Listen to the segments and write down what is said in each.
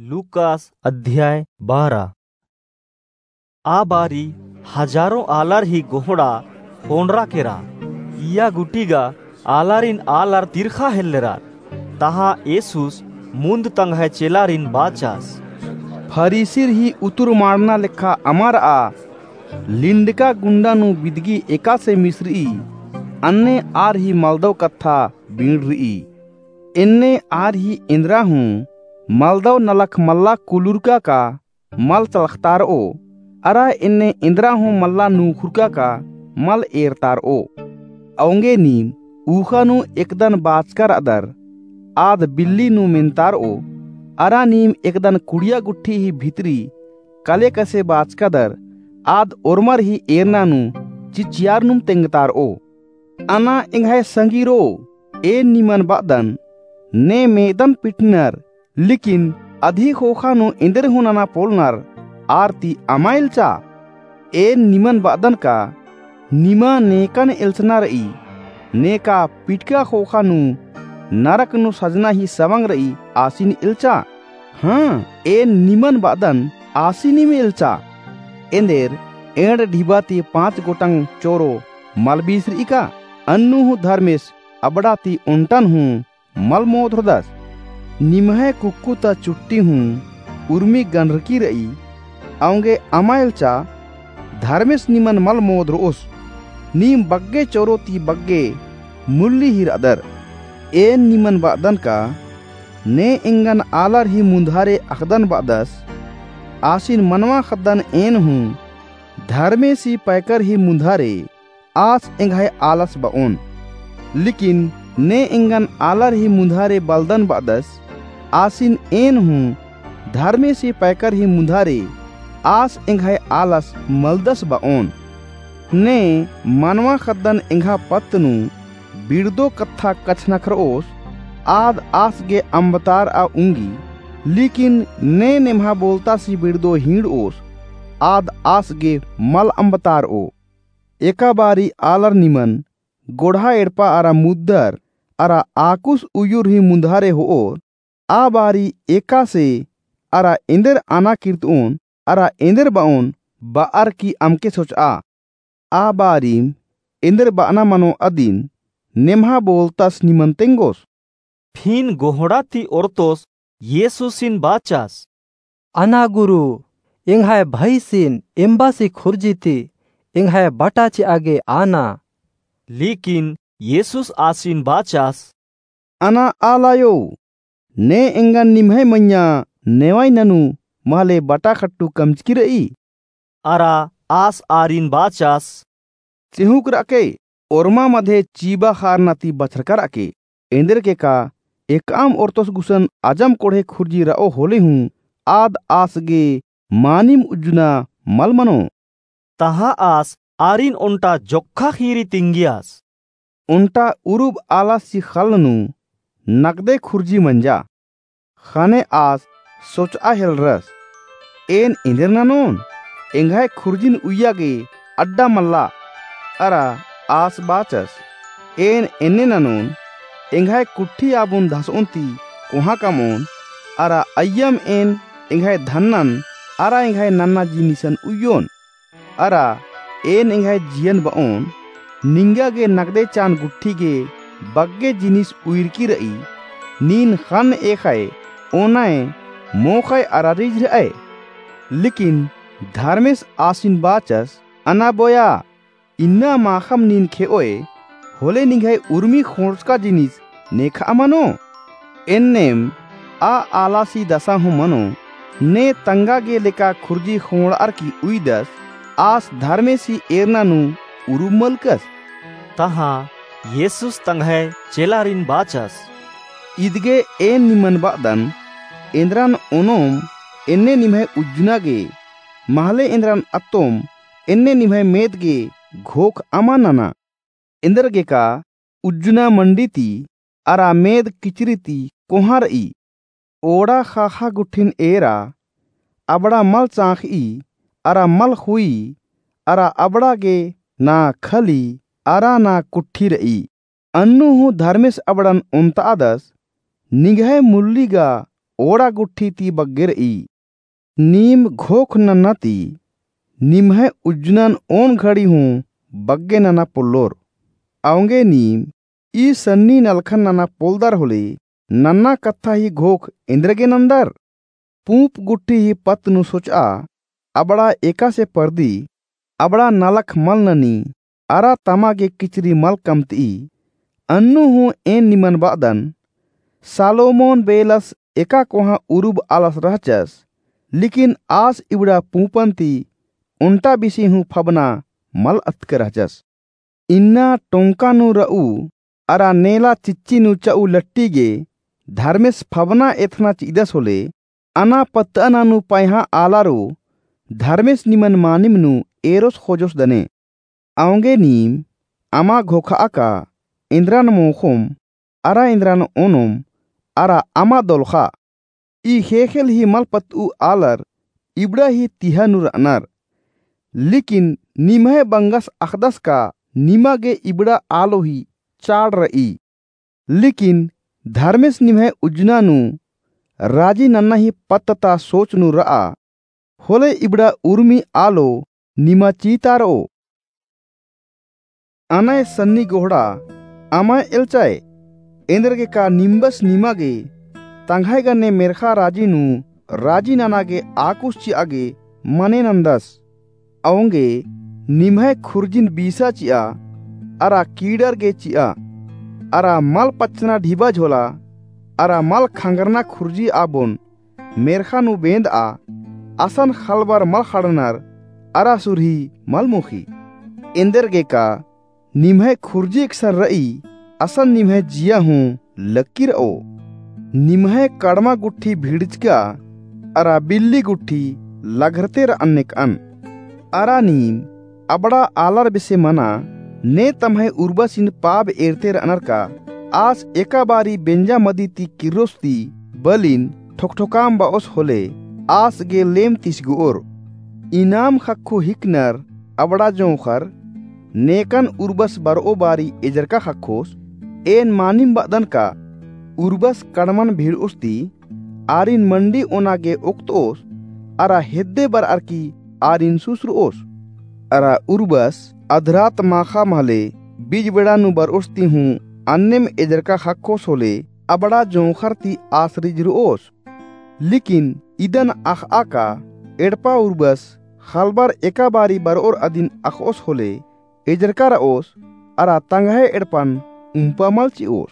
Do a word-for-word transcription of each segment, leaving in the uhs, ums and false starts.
लूकास अध्याय बारह। आ बारी हजारों आलर ही गोहड़ा ख़ोंड़रा केरा। इय्या गूटी गा आलारिन आलर तिरखा हेल्लरर। तहाँ येसुस मुन्द तंग्है चेलारिन बाचस, फरीसिर ही उतुर माड़ना लेखा अमा र'आ। लिंडका गुंडा नू बिदगी एकासे मिसर'ई, अन्ने आर ही मलदव कत्था बींड़र'ई। एन्ने आर ही एन्दरा हूँ मलदव नलख मल्ला कुलुरका का मल चलखतार'ओ, अरा एन्ने एन्दरा हूँ मल्ला नूखुरका का मल एरतार'ओ। औंगे नीम ऊखा नू एकदन बाचका र'अदर, आद बिल्ली नू मेन्तार'ओ, अरा नीम एकदन कुड़िया गुट्ठी ही भितरी कले कसे बाचकादर, आद ओर्मर ही एरना नू चिचियार नुम तेंगतार'ओ। अना एंग्है संगीरो, एन निमन ब'अदन, ने मेदन पिटनर, लेकिन अदी ख़ोख़ा नू एन्देर हूँ नना पोलनर आर ती अमा एल्चा। एन निमन ब'अदन का निमा नेकन एल्चना र'ई, नेका पिटका ख़ोख़ा नू नरक नू सजना ही सवंग र'ई आसिन एल्चा। हाँ, एन निमन ब'अदन आसिनिम एल्चा। एन्देर एंड़ ढिबा ती पाँच गोटंग चोरो मल बीसर'ई का? अन्नु हूँ धर्मेस अबड़ा ती ओन्टन हूँ मल मोधरदस। निम्है कुक्कु ता चुट्टी हूँ उर्मी गन्धरकी र'ई, औंगे अमा एल्चा, धर्मेस निमन मल मोधर'ओस। नीम बग्गे चोरो ती बग्गे मुल्ली ही र'अदर। एन निमन ब'अदन का ने एंगन आलर ही मुन्धारे अख़दन ब'अदस, आसिन मनवा ख़द्दन एन हूँ धर्मेसी पैकर ही मुन्धारे आस एंग्है आलस ब'ओन। लेकिन ने एंगन आलर ही मुन्धारे बलदन ब'अदस, आसिन एन हूँ धर्मेसी पैकर ही मुन्धारे आस एंग्है आलस मलदस ब'ओन। ने मनवा ख़द्दन एंग्हा पत्त नू बिड़दो कत्था कछनखर'ओस, आद आस गे अम्बतार'आ उंगी, लेकिन ने नेम्हा बोलतासी बिड़दो हींड़'ओस, आद आस गे मल अम्बतार'ओ। एका बारी आलर निमन गोड़हा एड़पा अरा मुद्दर अरा आकुस उयुर ही मुन्धारे हो'ओर। आ बारी एकासे अरा एन्देर अना किर्त'ओन अरा एन्देर ब'ओन ब'अर की अमके सोच'आ। आ बारीम एन्देर ब'अना मनो अदिन नेम्हा बोलतस निमन तेंगोस। फिन गोहड़ा ती ओरतोस येसुसिन बाचस, अना गुरु, एंग्है भइसिन एम्बासी खुर्जी ती एंग्है बटा चि'आ गे आना। लेकिन येसुस आसिन बाचस, अना आलायो, ने एंगन निम्है मइय्याँ नेवाई ननू महले बटा खट्टू कमचकी र'ई। अरा आस आरिन बाचस, चिहुँक र'अके, ओर्मा मधे चीबा ख़ारना ती बछरका र'अके। एन्देरगे का एकअम ओरतोस गुसन अजम कोड़हे खुर्जी र'ओ होले हूँ आद आस गे मानिम उज्जना मल मनो। तहाँ आस आरिन ओन्टा जोक्खा ख़ीरी तिंगियस। ओन्टा उरुब आलासी ख़ल्ल नू नकदे खुर्जी मंजा। ख़ने आस सोच'आ हेलरस, एन एन्देर ननोन? एंग्है खुर्जिन उइय्या गे अड्डा मल्ला। अरा आस बाचस, एन एन्ने ननोन, एंग्है कुट्ठी आबुन धस'ओन ती कोहाँ कम'ओन, अरा अइय्यम एन एंग्है धन्नन अरा एंग्है नन्ना जिनिसन उइयोन। अरा एन एंग्है जियन ब'ओन, निंगा गे नकदे चान गुट्ठी गे बग्गे जिनिस उइरकी र'ई, नीन ख़न्न एख़य ओनय मोख़य अरा रिझर'अय। लेकिन धर्मेस आसिन बाचस, अना बोया, इन्ना माख़म नीन खे'ओय, होले निंग्है उर्मी ख़ोंड़चका जिनिस नेख'आ मनो? एन्नेम आ आलासी दसा हूँ मनो, ने तंगा गे लेका खुर्जी ख़ोंड़'अर की उइदस, आस धर्मेसी एरना नू उरुम मलकस। तहाँ येसुस तंग्है चेलारिन बाचस, इदगे एन निमन ब'अदन, एन्द्रन ओनोम एन्ने निम्है उज्जना गे, महले एन्द्रन अत्तोम एन्ने निम्है मेद गे घोख अमा नना। एन्देरगे का उज्जना मंडी ती अरा मेद किचरी ती कोहाँ र'ई। ओड़ा ख़ाख़ा गुट्ठिन एरा, अबड़ा मल चाँख़'ई अरा मल ख़ुई, अरा अबड़ा गे ना खली अरा ना कुट्ठी र'ई। अन्नु हूँ धर्मेस अबड़न ओन्त'अदस, निंग्है मुल्ली गा ओड़ा गुट्ठी ती बग्गे र'ई। नीम घोख नन्ना ती निम्है उज्जनन ओन घड़ी हूँ बग्गे नना पोल्लोर। औंगे नीम ई सन्नी नलखन नना पोल्लदर होले नन्ना कत्था ही घोख एन्देरगे नन्दर? पूंप गुट्ठी ही पत्त नू सोच'आ, अबड़ा एकासे परदी, अबड़ा नलख मल ननी, अरा तमा गे किचरी मल कमत'ई। अन्नु हूँ एन निमन ब'अदन, सालोमोन बेलस एका कोहाँ उरुब आलस रहचस, लेकिन आस इबड़ा पूंपन ती ओन्टा बिसी हूँ फबना मल अतके रहचस। इन्ना टोंका नू र'ऊ अरा नेला चिच्ची नू च'ऊ लट्टी गे धर्मेस फबना एथना चि'दस होले, अना पत्त'अना नू पैहा आलारो धर्मेस निमन मानिम नू एरोस खोजोस दने। औंगे नीम अमा घोख'आ का एन्द्रन मोखोम अरा एन्द्रन ओनोम अरा अमा दोलखा। ई ख़ेख़ेल ही मल पत्त'ऊ आलर इबड़ा ही तिहा नू र'अनर। लेकिन निम्है बंगस अख़दस का निमा गे इबड़ा आलो ही चाड़ र'ई। लेकिन धर्मेस निम्है उज्जना नू राजी नन्ना ही पत्त ता सोच नू र'आ, होले इबड़ा उर्मी आलो निमा चीतार'ओ। अनय सन्नी गोहड़ा अमय एल्चय, एन्देरगे का निम्बस निमा गे तंग्है गने मेर्ख़ा राजी नू राजी नना गे आकुस चि'आ गे मने नन्दस। औंगे निम्है खुर्जिन बीसा चि'आ, अरा कीड़र गे चि'आ, अरा मल पच्चना ढिबा झोला, अरा मल खंगरना खुर्जी आबोन मेर्ख़ा नू बेंद'आ, असन ख़लबर मल ख़ड़नर, अरा सुरही मल मोख़ी। एन्देरगे का निम्है खुर्जी एकसन र'ई, असन निम्है जिया हूँ लक्की र'ओ। निम्है कड़मा गुट्ठी भिड़चका अरा बिल्ली गुट्ठी लघरते र'अन नेक'अन। अरा नीम अबड़ा आलर बेसे मना, ने तम्है उर्बसिन पाब एरते र'अनर का? आस एका बारी बेंजा मदी ती किर्रोस ती बलिन ठोकठोकाम ब'ओस होले आस गे लेम तिसगो'ओर। इनाम ख़क्खो हिकनर अबड़ा जोंख़र नेकन उर्बस बर'ओ बारी एजरका ख़क्खोस। एन मानिम ब'अदन का उर्बस कड़मन भिड़'ओस ती आरिन मंडी ओना गे ओक्त'ओस, अरा हेद्दे बर'अर की आरिन सुसर'ओस। अरा उर्बस अधरात माख़ा महले बीज बेड़ा नू बर'ओस ती हूँ अन्नेम एजरका ख़क्खोस होले अबड़ा जोंख़र ती आस रिझर'ओस। लेकिन इदन अख़'आ का एड़पा उर्बस ख़लबर एका बारी बर'ओर अदिन अख़'ओस होले एजरका र'ओस, अरा तंग्है एड़पन उम्पा मल चि'ओस।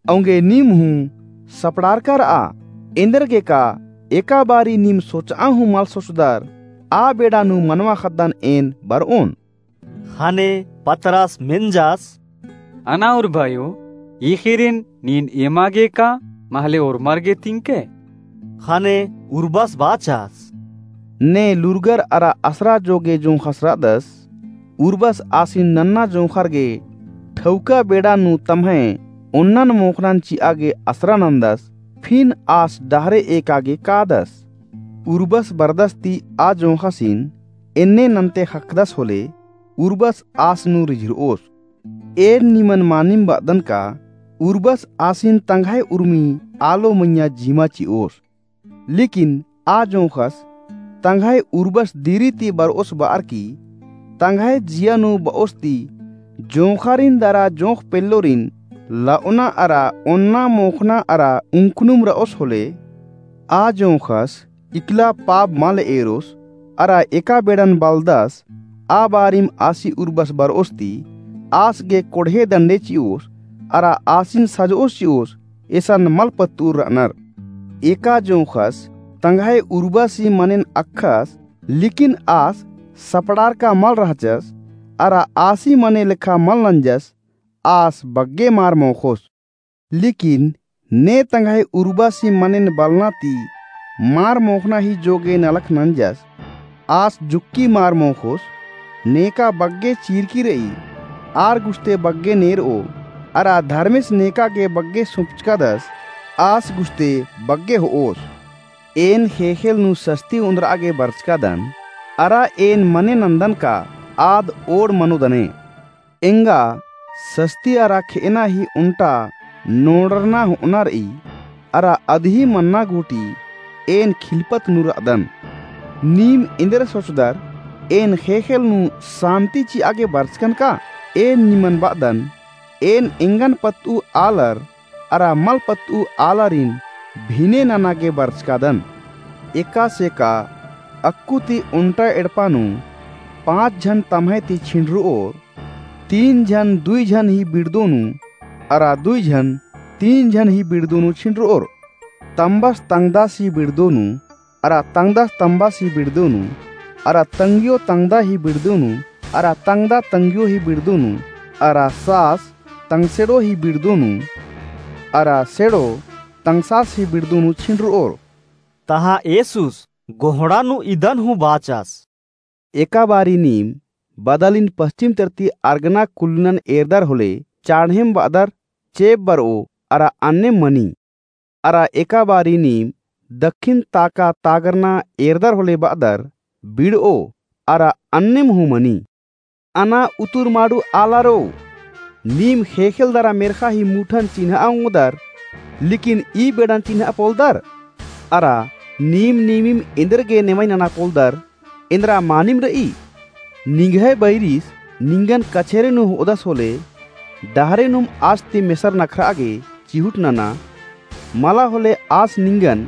औंगे नीम हूँ सपड़ारका र'आ, एन्देरगे का एका बारी नीम सोच'आ हूँ मल सोचदर, आ बेड़ा नू मनवा ख़द्दन एन बर'ओन। ख़ने पतरस मेंजस, अना उर्बायो, ई ख़ीरिन नीन एमा गे का महले ओर्मर गे तिंके? ख़ने उर्बस बाचस, ने लूरगर अरा असरा जोगे जोंख़स र'अदस। उर्बस आसिन नन्ना जोंख़र गे ठौका बेड़ा नू तम्है ओन्नन मोख़नन चि'आ गे असरा नन्दस। फिन आस डहरे एका गे कादस। उर्बस बरदस ती आ जोंख़सिन एन्ने नन्ते ख़क्खदस होले उर्बस आस नू रिझर'ओस। एन निमन मानिम ब'अदन का उर्बस आसिन तंग्है उर्मी आलो मइय्याँ जिमा चि'ओस। लेकिन आ जोंख़स तंग्है उर्बस दिरी ती बर'ओस ब'अर की तंग्है जिया नू ब'ओस ती जोंख़ारिन दरा जोंख़ पेल्लोरिन ल'ओना अरा ओन्ना मोख़ना अरा उंखनुम र'ओस होले, आ जोंख़स इकला पाब मल एरोस, अरा एका बेड़न बलदस, आ बारिम आसी उर्बस बर'ओस ती, आस गे कोड़हे दंडे चि'ओस, अरा आसिन सज'ओस चि'ओस, एसन मल पत्त'उर र'अनर। एका जोंख़स तंग्है उर्बसी मनेन अख़स, लेकिन आस सपड़ारका मल रहचस, अरा आसी मने लेखा मल नंजस, आस बग्गे मार मोख़ोस। लेकिन ने तंग्है उर्बसी मनेन बलना ती मार मोख़ना ही जोगे नलख नंजस। आस जुक्की मार मोख़ोस, नेका बग्गे चीरकी र'ई, आर गुस्ते बग्गे नेर'ओ, अरा धर्मेस नेका गे बग्गे सुंपचकादस, आस गुस्ते बग्गे हो'ओस। एन ख़ेख़ेल नू सस्ती ओन्द्र'आ गे बरचकादन, अरा एन मने नन्दन का आद ओड़ मनो दने। एंगा सस्ती अरा खे'अना ही ओन्टा नोड़रना हो'अना र'ई। अरा अदही मन्ना गूटी एन खिलपत नू र'अदन। नीम एन्देर सोचदर, एन ख़ेख़ेल नू सान्ति चि'आ गे बरचकन का? एन निमन ब'अदन, एन एंगन पत्त'ऊ आलर अरा मल पत्त'ऊ आलारिन भिने नना गे बरचकादन। एकासे का अक्कु ती ओन्टा एड़पा नू पाँच झन तम्है ती छिंड़र'ओर, तीन झन दुई झन ही बिड़दो नू, अरा दुई झन तीन झन ही बिड़दो नू छिंड़र'ओर। तम्बस तंगदस ही बिड़दो नू, अरा तंगदस तम्बस ही बिड़दो नू, अरा तंग्यो तंगदा ही बिड़दो नू, अरा तंगदा तंग्यो ही बिड़दो नू, अरा सास तंगसेड़ो ही बिड़दो नू, अरा सेड़ो तंगसास ही बिड़दो नू छिंड़र'ओर। तहाँ येसुस गोहड़ा नू इदन हूँ बाचस। एका बारी नीम बदलिन पश्चिम तरती अर्गना कुल्लनन एरदर होले, चाड़हेम ब'अदर चेंप बर'ओ अरा अन्नेम मनी। अरा एका बारी नीम दक्खिन ताका तागरना एरदर होले ब'अदर बिड़'ओ अरा अन्नेम हूँ मनी। अना उतुर माड़ू आलारो, नीम ख़ेख़ेल दरा मेर्ख़ा ही मुठन चिन्ह'आ ओंगदर, लेकिन ई बेड़न चिन्ह'आ पोलदर। अरा नीम नीमिम एन्देर गे नेवई नना पोलदर, एन्दरा मानिम र'ई। निंग्है बैरिस निंगन कछेरे नू हो'अदस होले, डहरे नूम आस ती मेसर नखर'आ गे चिहुट नना। मला होले आस निंगन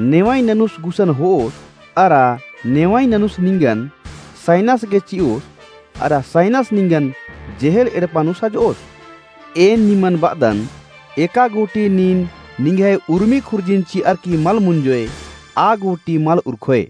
नेवई ननुस गुसन हो'ओस, अरा नेवई ननुस निंगन सैनस गे चि'ओस, अरा सैनस निंगन जेहेल एड़पा नू सज'ओस। एन निमन ब'अदन, एका गूटी नीन निंग्है उर्मी खुर्जिन चि'अर की मल मुंजोय, आ गूटी मल उरखोय।